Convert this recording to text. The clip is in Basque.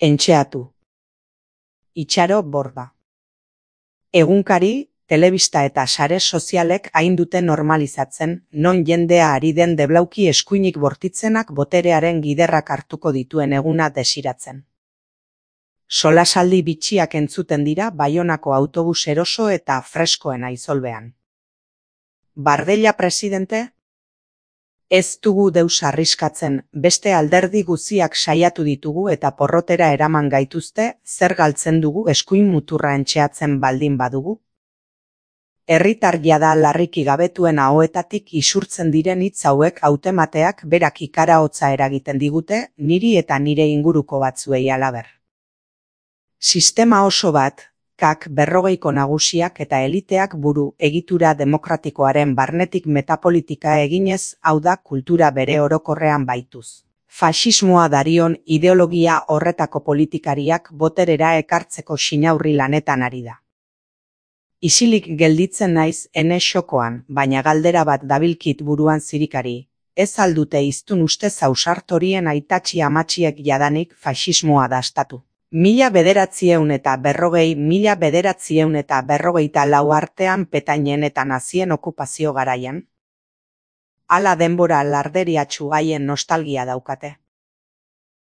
Entxeatu. Itxaro Borda. Egunkari, telebista eta sare sozialek hain dute normalizatzen, non jendea ari den deblauki eskuinik bortitzenak boterearen giderrak hartuko dituen eguna desiratzen. Solasaldi bitxiak entzuten dira Baionako autobus eroso eta freskoen aizolbean. Bardella presidente? Ez dugu deus arriskatzen, beste alderdi guziak saiatu ditugu eta porrotera eraman gaituzte, zer galtzen dugu eskuin muturra entxeatzen baldin badugu? Herritar jada larriki gabetuen ahoetatik isurtzen diren hitz hauek hautemateak berak ikara hotza eragiten digute, niri eta nire inguruko batzuei halaber. Sistema oso bat, kak 40ko nagusiak eta eliteak buru egitura demokratikoaren barnetik metapolitika eginez, hau da kultura bere orokorrean baituz. Faxismoa darion ideologia horretako politikariak boterera ekartzeko xinaurri lanetan ari da. Isilik gelditzen naiz ene xokoan, baina galdera bat dabilkit buruan zirikari, ez aldute iztun ustez ausart horien aitatxi amatxiek jadanik faxismoa dastatu. 1940-1944 artean Petainen eta nazien okupazio garaian. Hala denbora larderiatsu haien nostalgia daukate.